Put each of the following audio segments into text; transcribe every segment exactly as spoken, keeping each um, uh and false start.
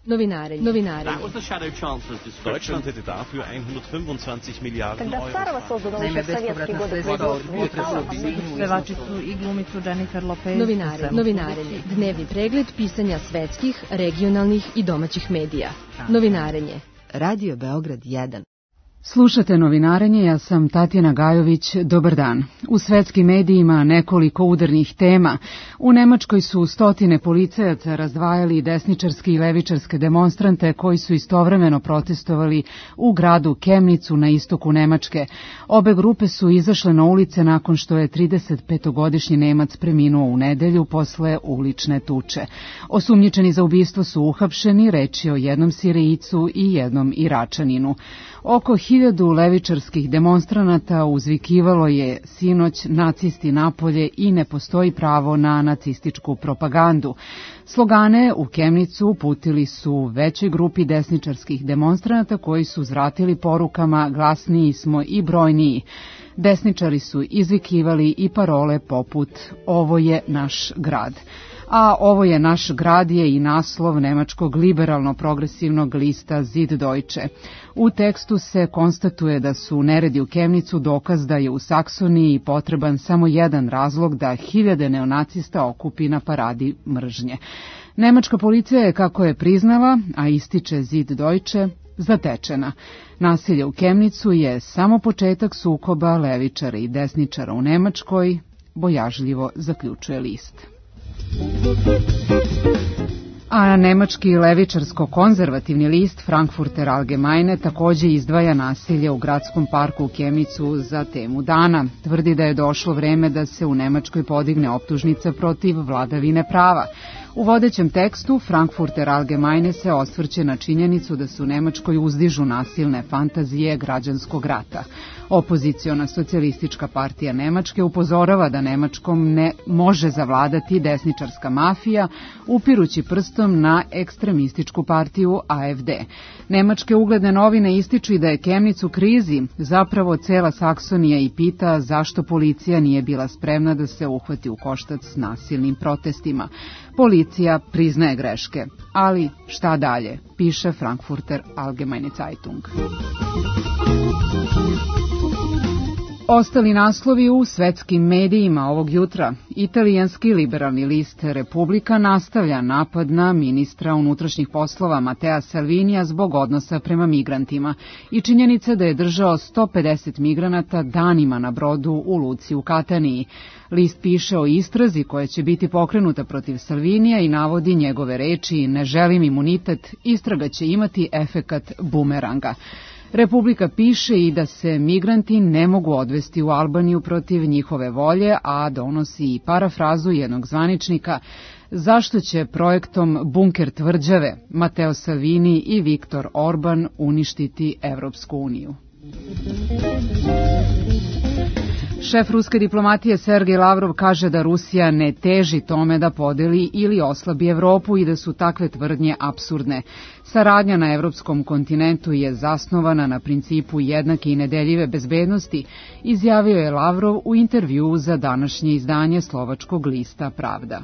Novinarenje. Novinarenje. Deutschland hätte dafür hundertfünfundzwanzig Milliarden Euro. Naime, bespovratna sredstva od pevačicu i glumicu Jennifer Lopez. Novinarenje. Novinarenje. Dnevni pregled pisanja svetskih, regionalnih i domaćih medija. Novinarenje. Radio Beograd jedan. Slušate Novinarenje, ja sam Tatjana Gajović, dobar dan. U svetskim medijima nekoliko udarnih tema. U Nemačkoj su stotine policajaca razdvajali desničarske i levičarske demonstrante koji su istovremeno protestovali u gradu Kemnicu na istoku Nemačke. Obe grupe su izašle na ulice nakon što je tridesetpetogodišnji Nemac preminuo u nedelju posle ulične tuče. Osumnjičeni za ubistvo su uhapšeni, reč je o jednom Sirijcu i jednom Iračaninu. Oko hiljadu levičarskih demonstranata uzvikivalo je sinoć nacisti napolje i ne postoji pravo na nacističku propagandu. Slogane u Kemnicu uputili su većoj grupi desničarskih demonstranata koji su uzvratili porukama glasniji smo i brojniji. Desničari su izvikivali i parole poput ovo je naš grad. A ovo je naš grad je i naslov nemačkog liberalno-progresivnog lista Süddeutsche. U tekstu se konstatuje da su neredi u Kemnicu dokaz da je u Saksoniji potreban samo jedan razlog da hiljade neonacista okupi na paradi mržnje. Nemačka policija je, kako je priznala, a ističe Süddeutsche, zatečena. Nasilje u Kemnicu je samo početak sukoba levičara i desničara u Nemačkoj, bojažljivo zaključuje list. A nemački levičarsko-konzervativni list Frankfurter Allgemeine takođe izdvaja nasilje u gradskom parku u Kemnicu za temu dana. Tvrdi da je došlo vreme da se u Nemačkoj podigne optužnica protiv vladavine prava. U vodećem tekstu Frankfurter Allgemeine se osvrće na činjenicu da se u Nemačkoj uzdižu nasilne fantazije građanskog rata. Opoziciona socijalistička partija Nemačke upozorava da Nemačkom ne može zavladati desničarska mafija, upirući prstom na ekstremističku partiju A F D. Nemačke ugledne novine ističu i da je Kemnic u krizi, zapravo cela Saksonija i pita zašto policija nije bila spremna da se uhvati u koštac s nasilnim protestima. Policija priznaje greške, ali šta dalje, piše Frankfurter Allgemeine Zeitung. Ostali naslovi u svetskim medijima ovog jutra. Italijanski liberalni list Republika nastavlja napad na ministra unutrašnjih poslova Matea Salvinija zbog odnosa prema migrantima i činjenice da je držao sto pedeset migranata danima na brodu u luci u Kataniji. List piše o istrazi koja će biti pokrenuta protiv Salvinija i navodi njegove reči ne želim imunitet, istraga će imati efekat bumeranga. Republika piše i da se migranti ne mogu odvesti u Albaniju protiv njihove volje, a donosi i parafrazu jednog zvaničnika zašto će projektom Bunker tvrđave Matteo Salvini i Viktor Orban uništiti Evropsku uniju. Šef ruske diplomatije Sergej Lavrov kaže da Rusija ne teži tome da podeli ili oslabi Evropu i da su takve tvrdnje apsurdne. Saradnja na evropskom kontinentu je zasnovana na principu jednake i nedeljive bezbednosti, izjavio je Lavrov u intervjuu za današnje izdanje slovačkog lista Pravda.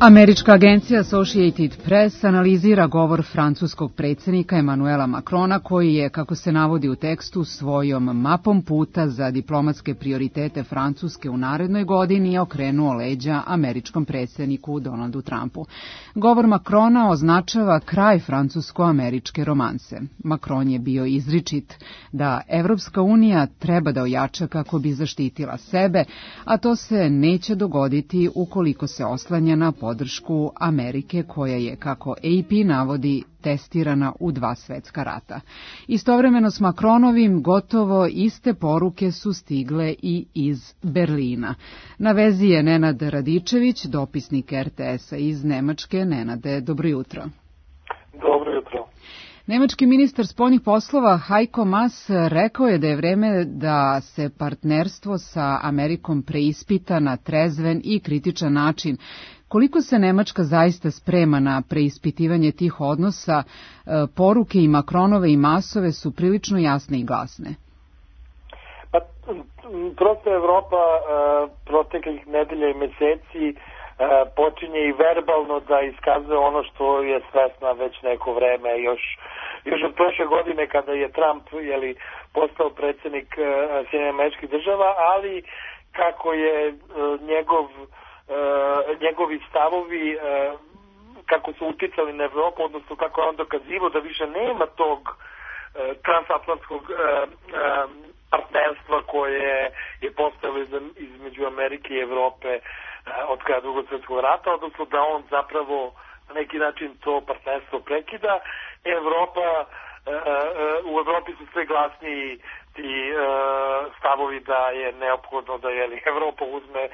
Američka agencija Associated Press analizira govor francuskog predsjednika Emmanuela Macrona koji je, kako se navodi u tekstu, svojom mapom puta za diplomatske prioritete Francuske u narednoj godini okrenuo leđa američkom predsjedniku Donaldu Trumpu. Govor Macrona označava kraj francusko-američke romanse. Macron je bio izričit da Evropska unija treba da ojača kako bi zaštitila sebe, a to se neće dogoditi ukoliko se oslanja na podršku Amerike koja je, kako A P navodi, testirana u dva svetska rata. Istovremeno s Macronovim gotovo iste poruke su stigle i iz Berlina. Na vezi je Nenad Radičević, dopisnik R T S-a iz Nemačke. Nenade, dobro jutro. Dobro jutro. Nemački ministar spoljnih poslova Heiko Maas rekao je da je vreme da se partnerstvo sa Amerikom preispita na trezven i kritičan način. Koliko se Nemačka zaista sprema na preispitivanje tih odnosa, poruke i Macronove i Maasove su prilično jasne i glasne. Pa, prosto Evropa proteklih nedelja i meseci počinje i verbalno da iskazuje ono što je svesna već neko vreme, još još od prošle godine kada je Trump jeli, postao predsjednik Sjedinjenih Američkih Država, ali kako je njegov, njegovi stavovi kako su uticali na Evropu, odnosno kako je on dokazivao da više nema tog transatlantskog partnerstva koje je postojalo između Amerike i Evrope od kraja Drugog svjetskog rata, odnosno da on zapravo na neki način to partnerstvo prekida. Evropa, u Evropi su sve glasniji ti stavovi da je neophodno da je Evropa uzme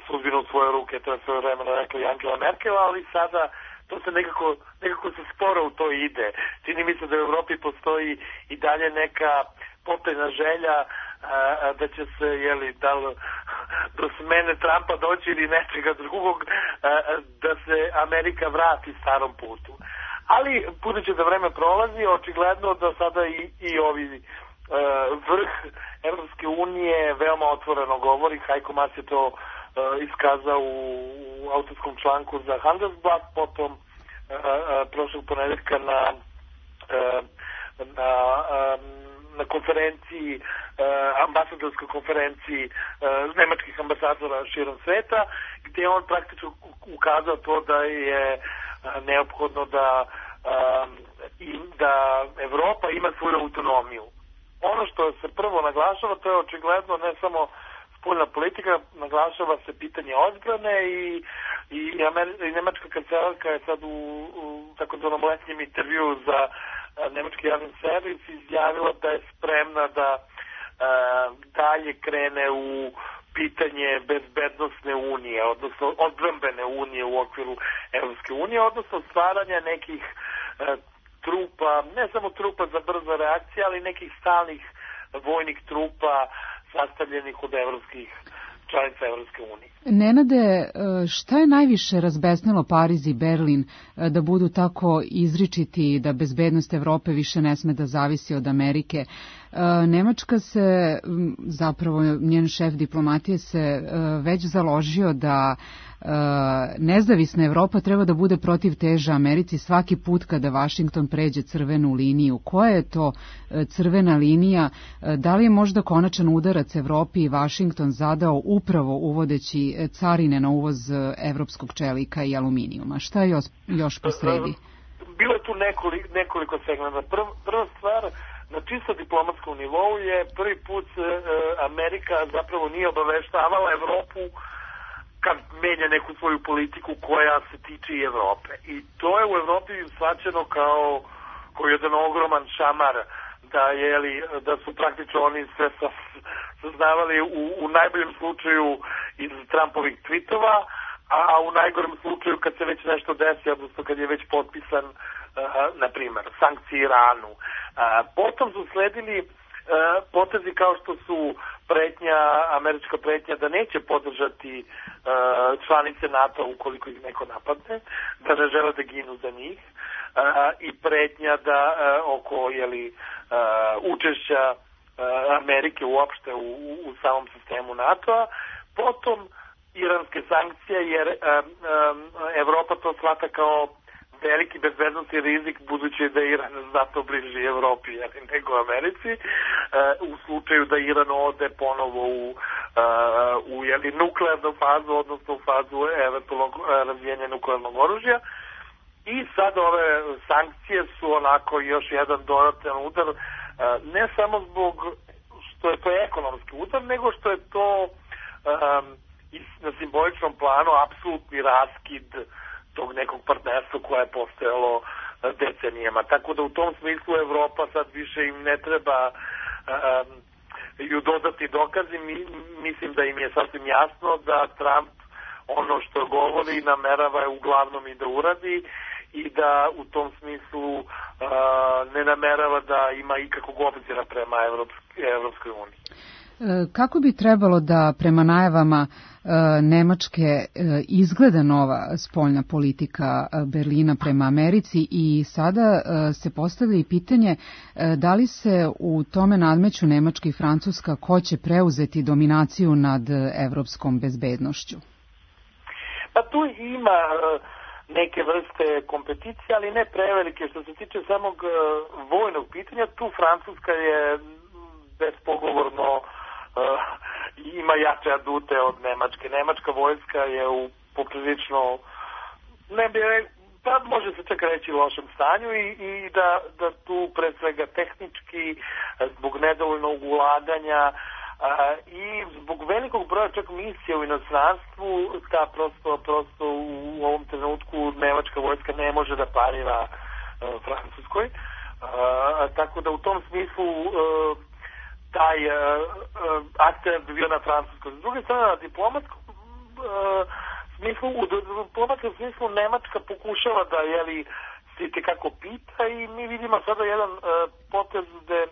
sudbinu u svoje ruke, to je svoje vremena rekla i Angela Merkel, ali sada to se nekako, nekako se sporo u to ide. Čini mi se da u Evropi postoji i dalje neka potajna želja a, da će se, jeli, da do smene Trumpa doći ili nečega drugog, a, da se Amerika vrati starom putu. Ali, budući da vreme prolazi, očigledno da sada i, i ovi a, vrh Evropske unije veoma otvoreno govori. Heiko Maas je to a, iskazao u, u autorskom članku za Handelsblatt, potom a, a, prošlog ponedeljka na a, na a, na konferenciji, ambasadorskoj konferenciji nemačkih ambasadora širom sveta, gdje je on praktično ukazao to da je neophodno da, da Evropa ima svoju autonomiju. Ono što se prvo naglašava, to je očigledno ne samo spoljna politika, naglašava se pitanje odbrane i, i, Amer, i nemačka kancelarka je sad u, u takozvanom letnjem intervju za nemački javni servis izjavila da je spremna da uh, dalje krene u pitanje bezbednosne unije, odnosno odbrambene unije u okviru Evropske unije, odnosno stvaranja nekih uh, trupa, ne samo trupa za brzo reakcije, ali nekih stalnih vojnih trupa sastavljenih od evropskih članica Evropske unije. Nenade, šta je najviše razbesnilo Pariz i Berlin da budu tako izričiti da bezbednost Evrope više ne sme da zavisi od Amerike? Nemačka se, zapravo njen šef diplomatije se već založio da nezavisna Evropa treba da bude protiv teža Americi svaki put kada Vašington pređe crvenu liniju. Koja je to crvena linija? Da li je možda konačan udarac Evropi i Vašington zadao upravo uvodeći carine na uvoz evropskog čelika i aluminijuma? Šta je još, još posredi? Bilo je tu nekoliko, nekoliko segmenta. Prv, prva stvar, na čisto diplomatskom nivou je prvi put e, Amerika zapravo nije obaveštavala Evropu kad menja neku svoju politiku koja se tiče i Evrope. I to je u Evropi shvaćeno kao, kao jedan ogroman šamar, da, je, da su praktično oni sve saznavali u, u najboljem slučaju iz Trumpovih tweetova, a u najgorem slučaju kad se već nešto desi, odnosno kad je već potpisan, uh, na primjer, sankcije Iranu. Uh, potom su sledili uh, potezi kao što su pretnja, američka pretnja da neće podržati uh, članice NATO ukoliko ih neko napadne, da ne žele da ginu za njih, uh, i pretnja da uh, oko jeli, uh, učešća uh, Amerike uopšte u, u samom sistemu NATO-a. Potom iranske sankcije, jer um, um, Evropa to shvata kao veliki bezbednosni rizik, budući da je Iran znatno bliži Evropi nego Americi, uh, u slučaju da Iran ode ponovo u, uh, u jeli, nuklearnu fazu, odnosno u fazu eventualnog uh, razvijenja nuklearnog oružja. I sad ove sankcije su onako još jedan dodatan udar, uh, ne samo zbog što je to ekonomski udar, nego što je to um, na simboličnom planu apsolutni raskid tog nekog partnerstva koje je postojalo decenijama. Tako da u tom smislu Evropa sad više im ne treba um, ju dodati dokazi. Mi, mislim da im je sasvim jasno da Trump ono što govori namerava uglavnom i da uradi i da u tom smislu uh, ne namerava da ima ikakvog obzira prema Evropske, Evropskoj uniji. Kako bi trebalo da prema najavama Nemačke izgleda nova spoljna politika Berlina prema Americi i sada se postavlja i pitanje da li se u tome nadmeću Nemačka i Francuska ko će preuzeti dominaciju nad evropskom bezbednošću? Pa tu ima neke vrste kompeticije, ali ne prevelike. Što se tiče samog vojnog pitanja, tu Francuska je bespogovorno ima jače adute od Nemačke. Nemačka vojska je u poprilično, ne bi pa može se čak reći lošem stanju i, i da, da tu pre svega tehnički zbog nedovoljnog ulaganja a, i zbog velikog broja čak misija u inostranstvu, ta prosto, prosto u ovom trenutku nemačka vojska ne može da parira a, Francuskoj. A, tako da u tom smislu a, taj a, a, akcent bi bio na Francuskoj. S druge strane, na diplomatskom a, smislu, u diplomatskom smislu Nemačka pokušava da jeli, se tekako pita i mi vidimo sada jedan uh, potez gde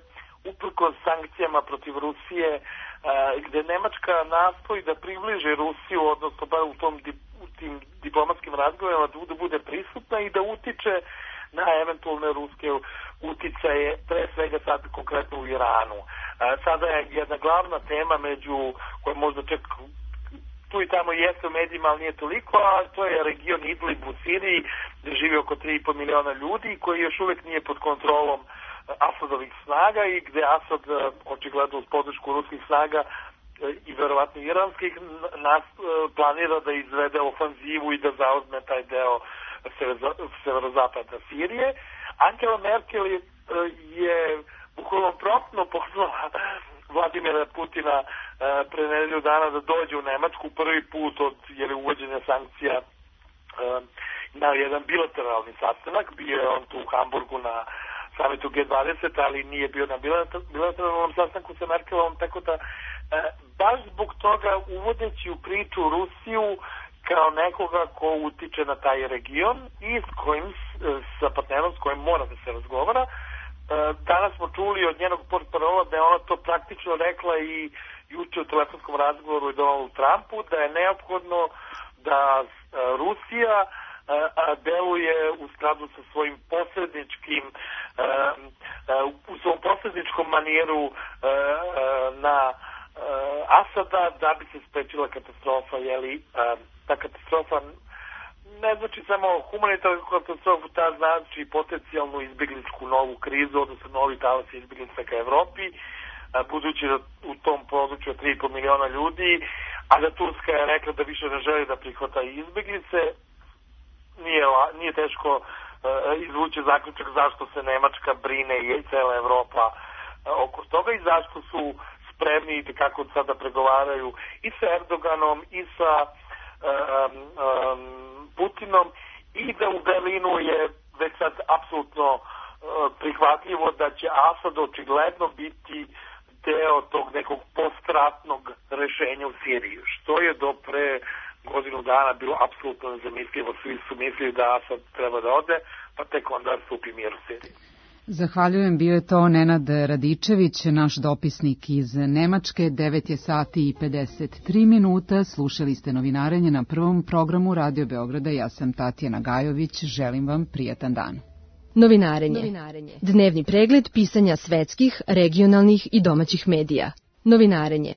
uprkos sankcijama protiv Rusije uh, gde Nemačka nastoji da približi Rusiju, odnosno bar u, tom, u tim diplomatskim razgovorima da bude prisutna i da utiče na eventualne ruske uticaje, pre svega sad konkretno u Iranu. Uh, sada je jedna glavna tema među koja možda čak tu i tamo jeste u medijima, ali nije toliko, a to je region Idlib u Siriji, gde živi oko tri i po miliona ljudi, koji još uvek nije pod kontrolom Asadovih snaga i gde Asad, očigledno uz podršku ruskih snaga i verovatno iranskih, nas planira da izvede ofanzivu i da zauzme taj deo severozapada Sirije. Angela Merkel je, je bukvalno promptno pozvala Vladimira Putina pre nedelju dana da dođe u Nemačku prvi put od jeli, uvođenja sankcija na jedan bilateralni sastanak. Bio je on tu u Hamburgu na samitu G dvadeset, ali nije bio na bilateralnom sastanku sa Merkelom, tako da baš zbog toga uvodeći u priču Rusiju kao nekoga ko utiče na taj region i s kojim, sa partnerom s kojim mora da se razgovara. Danas smo čuli od njenog portparola da je ona to praktično rekla i juče u telefonskom razgovoru i Donaldu Trumpu, da je neophodno da Rusija deluje u skladu sa svojim posredničkim u svom posredničkom manijeru na Asada da bi se sprečila katastrofa, jeli ta katastrofa ne znači samo humanitarnu katastrofu, ta znači potencijalnu izbjegličku novu krizu, odnosno novi talas izbjeglica ka Evropi, budući da u tom području tri i po miliona ljudi, a da Turska je rekla da više ne želi da prihvata izbjeglice, nije, nije teško uh, izvući zaključak zašto se Nemačka brine i cela Evropa uh, oko toga i zašto su spremni i kako sada pregovaraju i sa Erdoganom i sa um, um, Putinom i da u Berlinu je već sad apsolutno uh, prihvatljivo da će Asad očigledno biti deo tog nekog postratnog rešenja u Siriji, što je do pre godinu dana bilo apsolutno nezamislivo. Svi su mislili da Asad treba da ode, pa tek onda stupi mir u Siriji. Zahvaljujem, bio je to Nenad Radičević, naš dopisnik iz Nemačke. devet je sati i pedeset tri minuta, slušali ste Novinarenje na prvom programu Radio Beograda. Ja sam Tatjana Gajović, želim vam prijatan dan. Novinarenje. Novinarenje. Dnevni pregled pisanja svetskih, regionalnih i domaćih medija. Novinarenje.